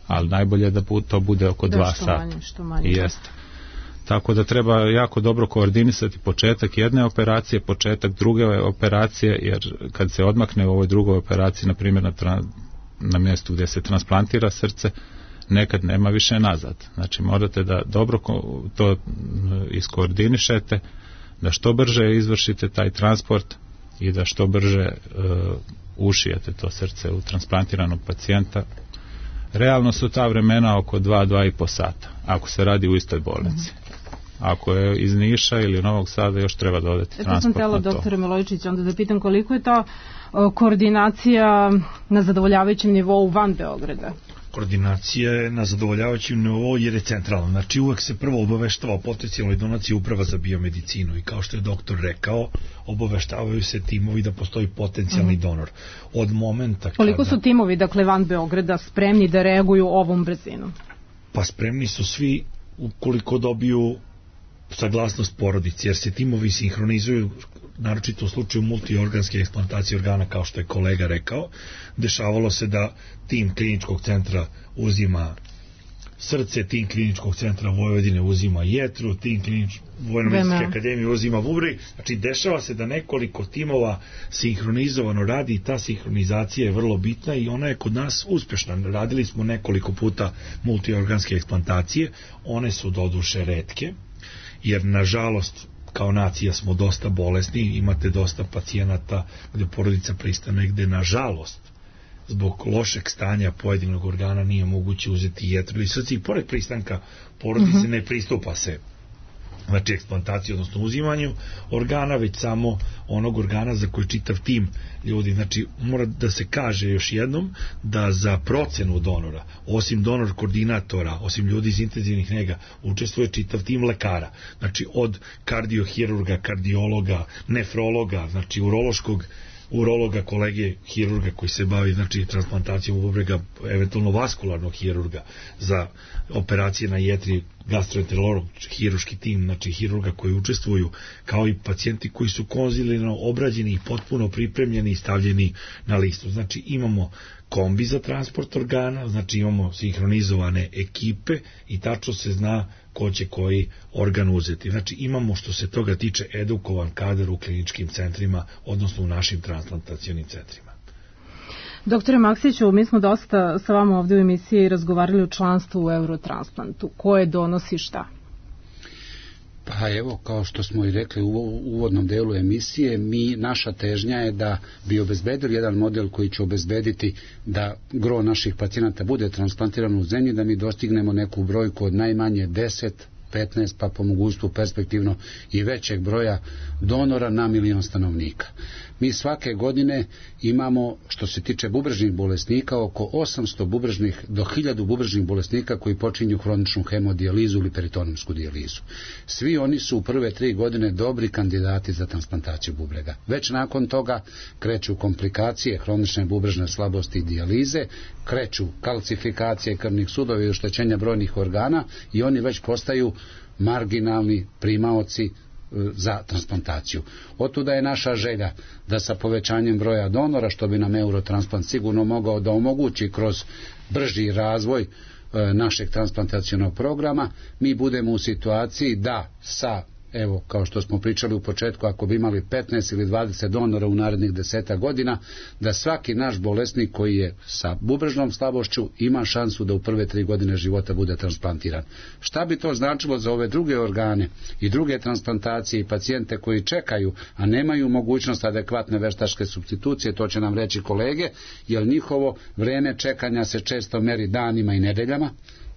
ali najbolje je da to bude oko da, dva što sata. Manje, što manje. Jeste. Tako da treba jako dobro koordinisati početak jedne operacije, početak druge operacije, jer kad se odmakne u ovoj drugoj operaciji, na primjer na, tra, na mjestu gdje se transplantira srce, nekad nema više nazad. Znači morate da dobro to iskoordinišete, da što brže izvršite taj transport i da što brže uh, ušijete to srce u transplantiranog pacijenta. Realno su ta vremena oko dva do dva i po sata, ako se radi u istoj bolnici. Mm-hmm. Ako je iz Niša ili Novog Sada, još treba dodati transport na to. Eto sam tela, doktore Milojičić, onda da pitam koliko je ta uh, koordinacija na zadovoljavajućem nivou van Beograda? Koordinacija je na zadovoljavajućem nivou jer je centralna. Znači uvek se prvo obaveštava o potencijalnoj donaciji uprava za biomedicinu i kao što je doktor rekao, obaveštavaju se timovi da postoji potencijalni mm. donor. Od momenta koliko kada... su timovi, dakle, van Beograda spremni da reaguju ovom brzinom? Pa spremni su svi ukoliko dobiju saglasnost porodice, jer se timovi sinhronizuju, naročito u slučaju multiorganske eksplantacije organa, kao što je kolega rekao. Dešavalo se da tim kliničkog centra uzima srce, tim kliničkog centra Vojvodine uzima jetru, tim klinič... Vojno-medicinske akademije uzima bubreg. Znači, dešava se da nekoliko timova sinhronizovano radi i ta sinhronizacija je vrlo bitna i ona je kod nas uspešna. Radili smo nekoliko puta multiorganske eksplantacije, one su doduše retke, jer nažalost kao nacija smo dosta bolesni, imate dosta pacijenata gde porodica pristane, gde nažalost zbog lošeg stanja pojedinog organa nije moguće uzeti jetru ili srce i pored pristanka porodice uh-huh. ne pristupa se znači eksplantaciji, odnosno uzimanju organa, već samo onog organa za koji čitav tim ljudi. Znači mora da se kaže još jednom da za procenu donora, osim donor koordinatora, osim ljudi iz intenzivnih nega, učestvuje čitav tim lekara. Znači od kardiohirurga, kardiologa, nefrologa, znači urološkog urologa, kolege hirurga koji se bavi znači transplantacijom bubrega, eventualno vaskularnog hirurga za operacije na jetri, gastroenterolog, hiruški tim, znači hirurga koji učestvuju, kao i pacijenti koji su konzilijarno obrađeni i potpuno pripremljeni i stavljeni na listu. Znači imamo kombi za transport organa, znači imamo sinhronizovane ekipe i tačno se zna ko će koji organ uzeti. Znači imamo što se toga tiče edukovan kadar u kliničkim centrima, odnosno u našim transplantacionim centrima. Doktore Maksiću, mi smo dosta sa vama ovdje u emisiji razgovarali o članstvu u Eurotransplantu. Koje donosi šta? Pa evo, kao što smo i rekli u uvodnom delu emisije, mi, naša težnja je da bi obezbedili jedan model koji će obezbediti da gro naših pacijenata bude transplantirano u zemlji, da mi dostignemo neku brojku od najmanje deset, petnaest, pa po mogućstvu perspektivno i većeg broja donora na milion stanovnika. Mi svake godine imamo, što se tiče bubrežnih bolesnika, oko osamsto bubrežnih do hiljadu bubrežnih bolesnika koji počinju hroničnu hemodijalizu ili peritonomsku dijalizu. Svi oni su u prve tri godine dobri kandidati za transplantaciju bubrega. Već nakon toga kreću komplikacije hronične bubrežne slabosti i dijalize, kreću kalcifikacije krvnih sudova i oštećenja brojnih organa i oni već postaju marginalni primaoci za transplantaciju. Otuda je naša želja da sa povećanjem broja donora, što bi nam Eurotransplant sigurno mogao da omogući kroz brži razvoj e, našeg transplantacionog programa, mi budemo u situaciji da sa, evo, kao što smo pričali u početku, ako bi imali petnaest ili dvadeset donora u narednih deseta godina, da svaki naš bolesnik koji je sa bubrežnom slabošću ima šansu da u prve tri godine života bude transplantiran. Šta bi to značilo za ove druge organe i druge transplantacije i pacijente koji čekaju, a nemaju mogućnost adekvatne veštačke supstitucije, to će nam reći kolege, jer njihovo vreme čekanja se često meri danima i nedeljama.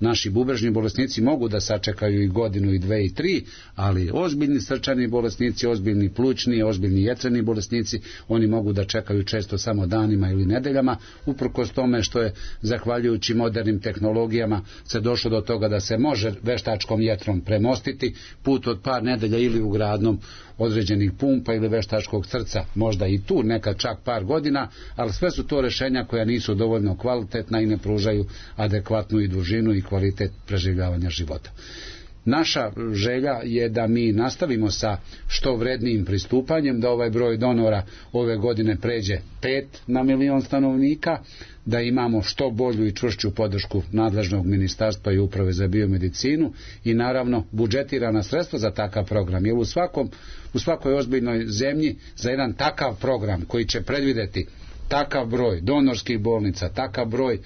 Naši bubrežni bolesnici mogu da sačekaju i godinu i dve i tri, ali ozbiljni srčani bolesnici, ozbiljni plućni, ozbiljni jetreni bolesnici, oni mogu da čekaju često samo danima ili nedeljama, uprkos tome što je, zahvaljujući modernim tehnologijama, se došlo do toga da se može veštačkom jetrom premostiti put od par nedelja ili ugradnom određenih pumpa ili veštačkog srca, možda i tu nekad čak par godina, ali sve su to rešenja koja nisu dovoljno kvalitetna i ne pružaju adekvatnu i dužinu i kvalitet preživljavanja života. naša želja je da mi nastavimo sa što vrednijim pristupanjem, da ovaj broj donora ove godine pređe pet na milion stanovnika, da imamo što bolju i čvršću podršku nadležnog ministarstva i uprave za biomedicinu i naravno budžetirana sredstva za takav program. Jer u svakom, u svakoj ozbiljnoj zemlji za jedan takav program koji će predvideti takav broj donorskih bolnica, takav broj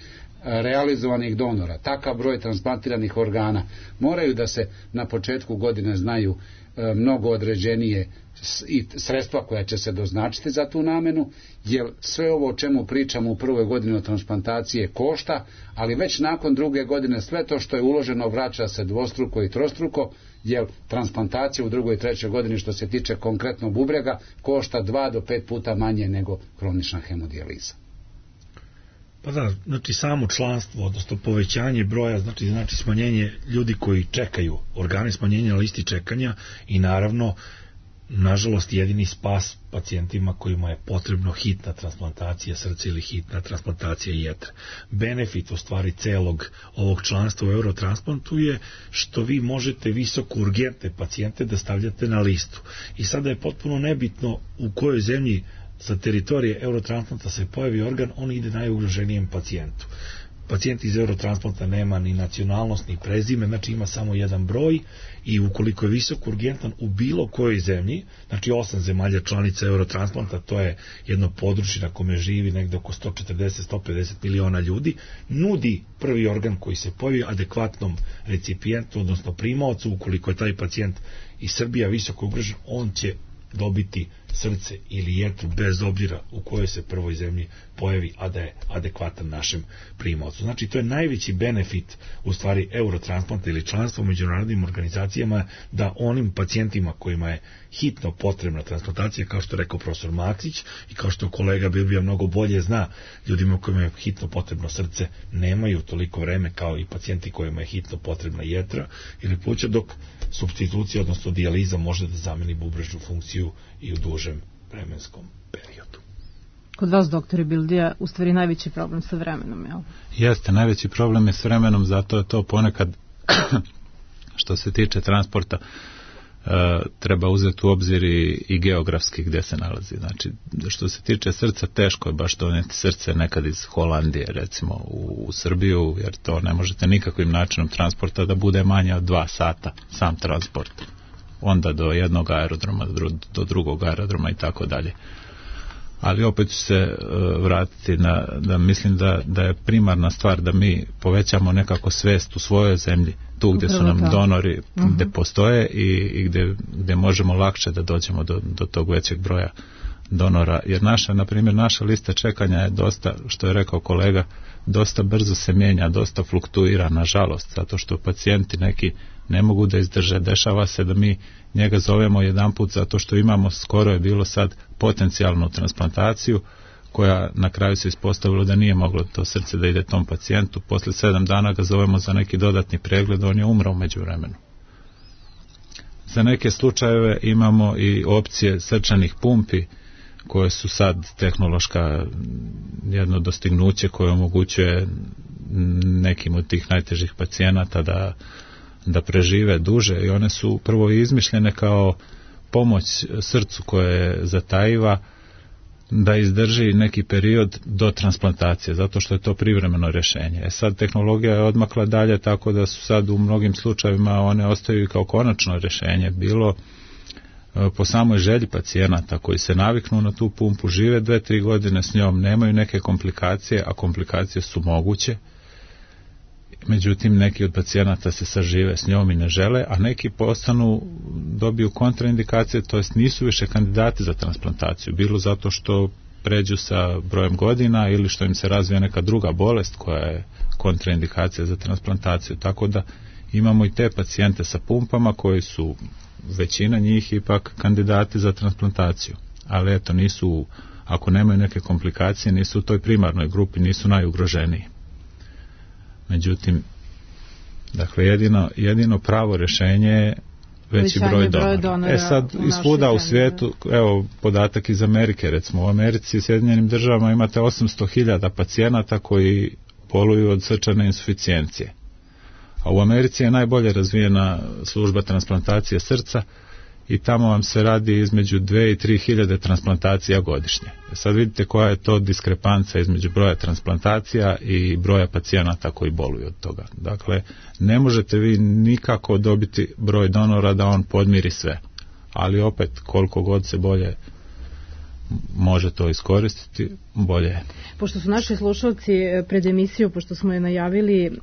realizovanih donora, takav broj transplantiranih organa, moraju da se na početku godine znaju e, mnogo određenije i sredstva koja će se doznačiti za tu namenu, jer sve ovo o čemu pričamo u prvoj godini od transplantacije košta, ali već nakon druge godine sve to što je uloženo vraća se dvostruko i trostruko, jer transplantacija u drugoj i trećoj godini što se tiče konkretno bubrega košta dva do pet puta manje nego kronična hemodijaliza. Pa da, znači samo članstvo, odnosno povećanje broja, znači, znači smanjenje ljudi koji čekaju organe, smanjenje na listi čekanja i naravno, nažalost, jedini spas pacijentima kojima je potrebno hitna transplantacija srca ili hitna transplantacija jetre. Benefit u stvari celog ovog članstva u Eurotransplantu je što vi možete visoko urgentne pacijente da stavljate na listu. I sada je potpuno nebitno u kojoj zemlji sa teritorije Eurotransplanta se pojavi organ, on ide najugroženijem pacijentu. Pacijent iz Eurotransplanta nema ni nacionalnost, ni prezime, znači ima samo jedan broj i ukoliko je visoko urgentan u bilo kojoj zemlji, znači osam zemalja članica Eurotransplanta, to je jedno područje na kome živi negde oko sto četrdeset do sto pedeset miliona ljudi, nudi prvi organ koji se pojavi adekvatnom recipijentu, odnosno primaocu. Ukoliko je taj pacijent iz Srbija visoko ugrožen, on će dobiti srce ili jetru bez obzira u kojoj se prvoj zemlji pojavi, a da je adekvatan našem primaocu. Znači, to je najveći benefit u stvari Eurotransplanta ili članstva u međunarodnim organizacijama, da onim pacijentima kojima je hitno potrebna transplantacija, kao što je rekao profesor Maksić i kao što kolega Bilbija mnogo bolje zna, ljudima kojima je hitno potrebno srce nemaju toliko vreme kao i pacijenti kojima je hitno potrebna jetra ili pluća, dok supstitucija, odnosno dijaliza može da zameni bubrežnu funkciju i u dužem vremenskom periodu. Kod vas, doktore Bildija, u stvari najveći problem sa vremenom, jel? Jeste, najveći problem je s vremenom, zato je to ponekad što se tiče transporta e, treba uzeti u obzir i, i geografski gdje se nalazi. Znači, što se tiče srca, teško je baš donijeti srce nekad iz Holandije, recimo, u, u Srbiju, jer to ne možete nikakvim načinom transporta da bude manje od dva sata, sam transport. Onda do jednog aerodroma, do drugog aerodroma i tako dalje. Ali opet ću se uh, vratiti na, da mislim da, da je primarna stvar da mi povećamo nekako svest u svojoj zemlji, tu gdje su nam donori, uh-huh. gdje postoje i, i gdje, gdje možemo lakše da dođemo do, do tog većeg broja donora. Jer naša, na primjer, naša lista čekanja je dosta, što je rekao kolega, dosta brzo se mijenja, dosta fluktuira, nažalost, zato što pacijenti neki ne mogu da izdrže. Dešava se da mi njega zovemo jedan put zato što imamo, skoro je bilo sad, potencijalnu transplantaciju koja na kraju se ispostavilo da nije moglo to srce da ide tom pacijentu. Poslije sedam dana ga zovemo za neki dodatni pregled, on je umro u međuvremenu. Za neke slučajeve imamo i opcije srčanih pumpi koje su sad tehnološka jedno dostignuće koje omogućuje nekim od tih najtežih pacijenata da da prežive duže i one su prvo izmišljene kao pomoć srcu koje zatajiva da izdrži neki period do transplantacije, zato što je to privremeno rješenje. E sad tehnologija je odmakla dalje, tako da su sad u mnogim slučajevima one ostaju kao konačno rješenje, bilo po samoj želji pacijenata koji se naviknu na tu pumpu, žive dve, tri godine s njom, nemaju neke komplikacije, a komplikacije su moguće. Međutim, neki od pacijenata se sažive s njom i ne žele, a neki postanu, dobiju kontraindikacije, to jest nisu više kandidati za transplantaciju, bilo zato što pređu sa brojem godina ili što im se razvija neka druga bolest koja je kontraindikacija za transplantaciju. Tako da imamo i te pacijente sa pumpama koji su, većina njih, ipak kandidati za transplantaciju. Ali eto, nisu, ako nemaju neke komplikacije, nisu u toj primarnoj grupi, nisu najugroženiji. Međutim, dakle, jedino, jedino pravo rješenje je veći broj donora. donora. E sad, isvuda u svijetu, evo, podatak iz Amerike, recimo, u Americi i Sjedinjenim državama imate osamsto hiljada pacijenata koji boluju od srčane insuficijencije. A u Americi je najbolje razvijena služba transplantacije srca i tamo vam se radi između dve i tri hiljade transplantacija godišnje. Sad vidite koja je to diskrepanca između broja transplantacija i broja pacijenata koji boluju od toga. Dakle, ne možete vi nikako dobiti broj donora da on podmiri sve. Ali opet, koliko god se bolje može to iskoristiti, bolje je. Pošto su naši slušalci pred emisiju, pošto smo je najavili,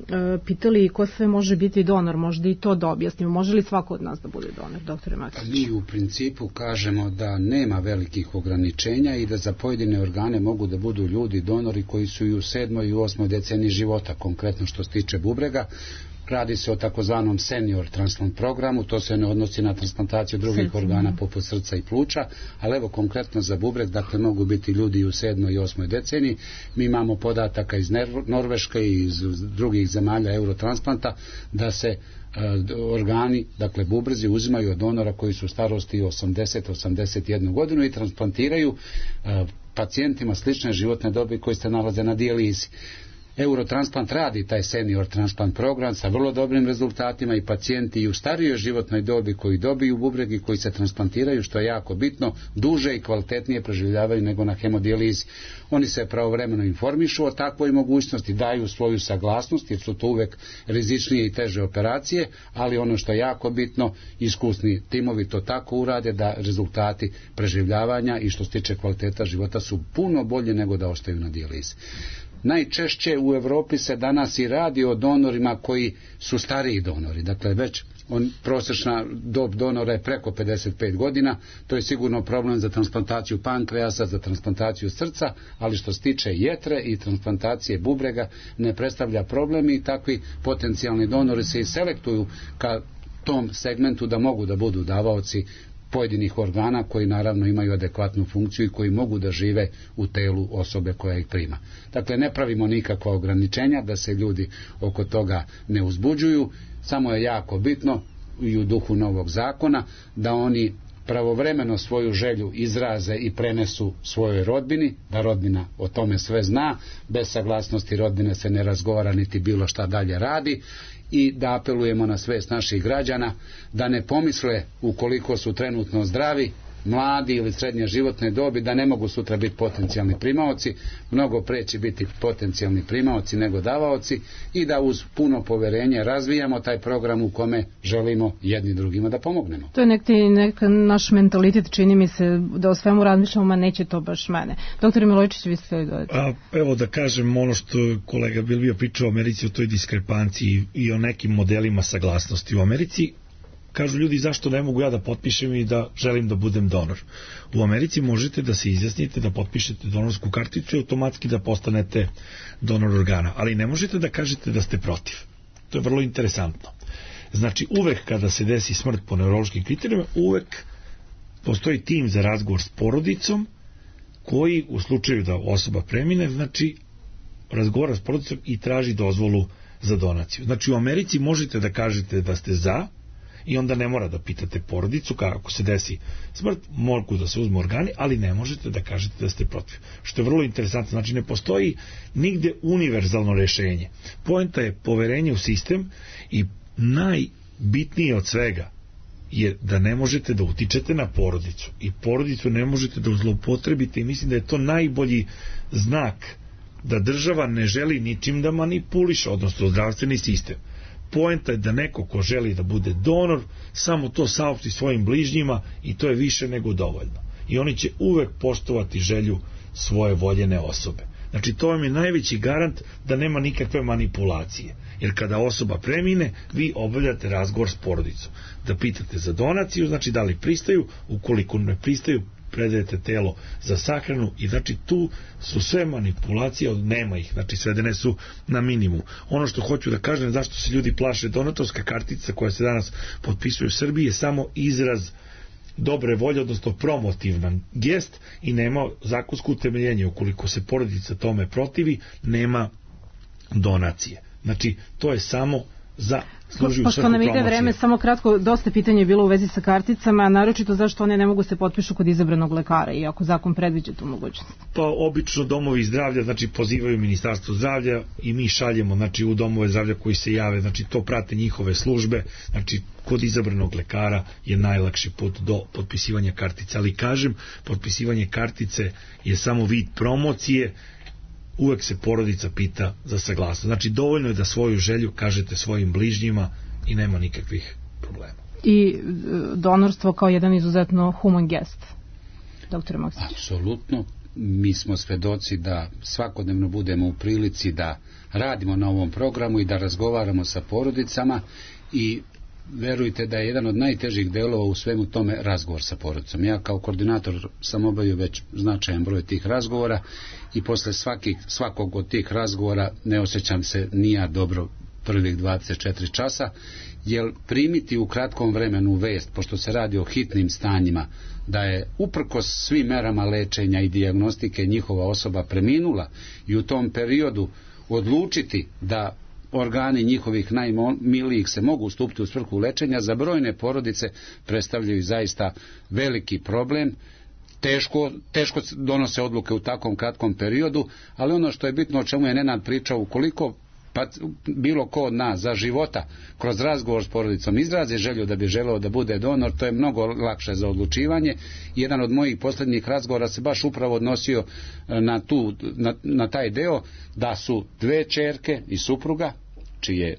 pitali ko sve može biti donor, možda i to da objasnimo. Može li svako od nas da bude donor, doktore Maksić? Mi u principu kažemo da nema velikih ograničenja i da za pojedine organe mogu da budu ljudi donori koji su i u sedmoj i u osmoj deceniji života, konkretno što se tiče bubrega. Radi se o takozvanom senior transplant programu, to se ne odnosi na transplantaciju drugih Srcima. organa poput srca i pluća, ali evo konkretno za bubreg, dakle mogu biti ljudi i u sedmoj i osmoj deceniji. Mi imamo podataka iz Norveške i iz drugih zemalja eurotransplanta da se e, organi, dakle bubrezi, uzimaju od donora koji su u starosti osamdeset do osamdeset jedne godinu i transplantiraju e, pacijentima slične životne dobi koji se nalaze na dijalizi. Eurotransplant radi taj senior transplant program sa vrlo dobrim rezultatima i pacijenti i u starijoj životnoj dobi koji dobiju bubreg i koji se transplantiraju, što je jako bitno, duže i kvalitetnije preživljavaju nego na hemodijalizi. Oni se pravovremeno informišu o takvoj mogućnosti, daju svoju saglasnost jer su to uvek rizičnije i teže operacije, ali ono što je jako bitno, iskusni timovi to tako urade da rezultati preživljavanja i što se tiče kvaliteta života su puno bolje nego da ostaju na dijalizi. Najčešće u Evropi se danas i radi o donorima koji su stariji donori, dakle već on, prosječna dob donora je preko pedeset pet godina, to je sigurno problem za transplantaciju pankreasa, za transplantaciju srca, ali što se tiče jetre i transplantacije bubrega ne predstavlja problem i takvi potencijalni donori se i selektuju ka tom segmentu da mogu da budu davaoci pojedinih organa koji naravno imaju adekvatnu funkciju i koji mogu da žive u telu osobe koja ih prima. Dakle, ne pravimo nikakva ograničenja da se ljudi oko toga ne uzbuđuju, samo je jako bitno i u duhu novog zakona da oni pravovremeno svoju želju izraze i prenesu svojoj rodbini, da rodbina o tome sve zna, bez saglasnosti rodbine se ne razgovara niti bilo šta dalje radi, i da apelujemo na svest naših građana da ne pomisle ukoliko su trenutno zdravi, mladi ili srednje životne dobi da ne mogu sutra biti potencijalni primaoci, mnogo pre će biti potencijalni primaoci nego davaoci i da uz puno poverenje razvijamo taj program u kome želimo jedni drugima da pomognemo. To je neki neka naš mentalitet, čini mi se da o svemu razmišljamo, ma neće to baš mene. Doktor Milojčić, vi ste dodati. A, evo da kažem ono što kolega Bilbija pričao o Americi, o toj diskrepanciji i o nekim modelima saglasnosti. U Americi kažu ljudi zašto ne mogu ja da potpišem i da želim da budem donor. U Americi možete da se izjasnite, da potpišete donorsku karticu i automatski da postanete donor organa, ali ne možete da kažete da ste protiv. To je vrlo interesantno. Znači uvek kada se desi smrt po neurološkim kriterijima, uvek postoji tim za razgovor s porodicom koji u slučaju da osoba premine, znači razgovara s porodicom i traži dozvolu za donaciju. Znači u Americi možete da kažete da ste za i onda ne mora da pitate porodicu kako se desi smrt, mogu da se uzmu organi, ali ne možete da kažete da ste protiv. Što je vrlo interesantno, znači ne postoji nigde univerzalno rešenje. Poenta je poverenje u sistem i najbitnije od svega je da ne možete da utičete na porodicu i porodicu ne možete da zloupotrebite i mislim da je to najbolji znak da država ne želi ničim da manipuliše, odnosno zdravstveni sistem. Poenta je da neko ko želi da bude donor samo to saopšti svojim bližnjima i to je više nego dovoljno. I oni će uvek poštovati želju svoje voljene osobe. Znači to vam je najveći garant da nema nikakve manipulacije. Jer kada osoba premine, vi obavljate razgovor s porodicom. Da pitate za donaciju, znači da li pristaju, ukoliko ne pristaju, predajete telo za sahranu i znači tu su sve manipulacije, od nema ih, znači svedene su na minimum. Ono što hoću da kažem, zašto se ljudi plaše, donatorska kartica koja se danas potpisuje u Srbiji je samo izraz dobre volje, odnosno promotivan gest i nema zakonsko utemeljenje. Ukoliko se porodica tome protivi, nema donacije. Znači, to je samo za služi u Pošto svrhu nam ide promocije. vreme, samo kratko, dosta pitanja je bilo u vezi sa karticama, a naročito zašto one ne mogu se potpišu kod izabranog lekara, iako zakon predviđa tu mogućnost. Pa obično domovi zdravlja, znači pozivaju Ministarstvo zdravlja i mi šaljemo, znači u domove zdravlja koji se jave, znači to prate njihove službe, znači kod izabranog lekara je najlakši put do potpisivanja kartice, ali kažem, potpisivanje kartice je samo vid promocije, uvek se porodica pita za saglasnost. Znači dovoljno je da svoju želju kažete svojim bližnjima i nema nikakvih problema. I donorstvo kao jedan izuzetno human gest, doktore Maksić. Apsolutno. Mi smo svedoci da svakodnevno budemo u prilici da radimo na ovom programu i da razgovaramo sa porodicama i verujte da je jedan od najtežih delova u svemu tome razgovor sa porodicom. Ja kao koordinator sam obavio već značajan broj tih razgovora i posle svakih, svakog od tih razgovora ne osjećam se ni ja dobro prvih dvadeset četiri časa, jer primiti u kratkom vremenu vest, pošto se radi o hitnim stanjima, da je uprkos svim merama lečenja i dijagnostike njihova osoba preminula i u tom periodu odlučiti da organi njihovih najmilijih se mogu ustupiti u svrhu lečenja, za brojne porodice predstavljaju zaista veliki problem. Teško, teško donose odluke u takvom kratkom periodu, ali ono što je bitno, o čemu je Nenad pričao, ukoliko pa bilo ko od nas za života kroz razgovor s porodicom izrazi želju da bi želeo da bude donor, to je mnogo lakše za odlučivanje. Jedan od mojih posljednjih razgovora se baš upravo odnosio na, tu, na, na taj deo da su dve ćerke i supruga, čije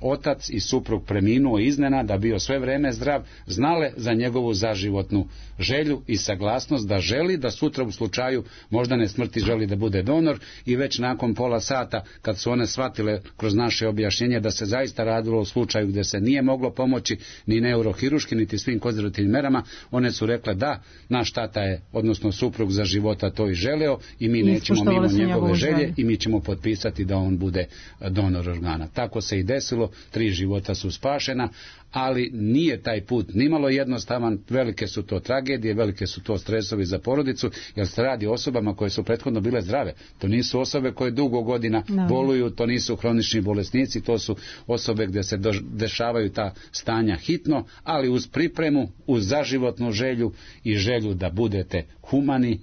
otac i suprug preminuo iznenada, bio sve vreme zdrav, znale za njegovu zaživotnu želju i saglasnost da želi da sutra u slučaju moždane smrti želi da bude donor, i već nakon pola sata kad su one shvatile kroz naše objašnjenje da se zaista radilo o slučaju gdje se nije moglo pomoći ni neurohiruški niti svim konzervativnim merama, one su rekle da, naš tata je, odnosno suprug za života to i želeo i mi I nećemo mimo njegove želje i mi ćemo potpisati da on bude donor organa. Tako se i desilo, tri života su spašena, ali nije taj put nimalo jednostavan, velike su to tragedije, velike su to stresovi za porodicu, jer se radi o osobama koje su prethodno bile zdrave. To nisu osobe koje dugo godina no. boluju, to nisu hronični bolesnici, to su osobe gdje se dešavaju ta stanja hitno, ali uz pripremu, uz zaživotnu želju i želju da budete humani,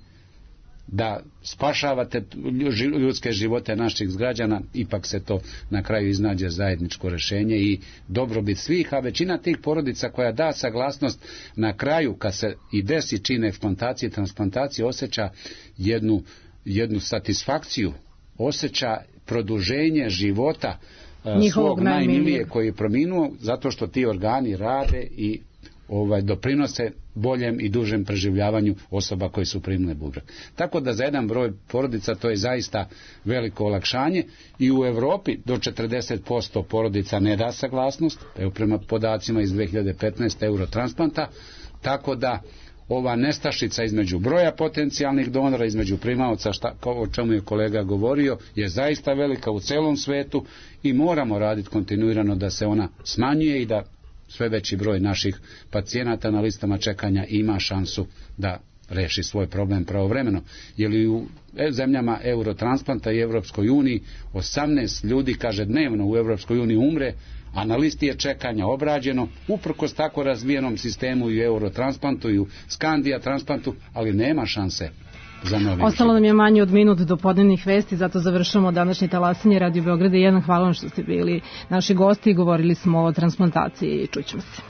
da spašavate ljudske živote naših građana, ipak se to na kraju iznađe zajedničko rješenje i dobrobit svih, a većina tih porodica koja da saglasnost na kraju kad se i desi čin eksplantacije i transplantacije osjeća jednu, jednu satisfakciju, osjeća produženje života svog najmilije koji je preminuo, zato što ti organi rade i ovaj doprinose boljem i dužem preživljavanju osoba koji su primile bubreg. Tako da za jedan broj porodica to je zaista veliko olakšanje i u Europi do četrdeset posto porodica ne da saglasnost, evo prema podacima iz dve hiljade petnaeste Eurotransplanta, tako da ova nestašica između broja potencijalnih donora, između primaoca, šta, o čemu je kolega govorio, je zaista velika u celom svetu i moramo raditi kontinuirano da se ona smanjuje i da sve veći broj naših pacijenata na listama čekanja ima šansu da reši svoj problem pravovremeno. Jer i u zemljama Eurotransplanta i Evropskoj uniji osamnaest ljudi, kaže, dnevno u Evropskoj uniji umre, a na listi je čekanja obrađeno, uprkos tako razvijenom sistemu i u Eurotransplantu i u Skandija transplantu, ali nema šanse. Ostalo nam je manje od minut do podnevnih vesti, zato završamo današnje talasanje Radio Beograda jedan. Hvala vam što ste bili naši gosti i govorili smo o transplantaciji i čućemo se.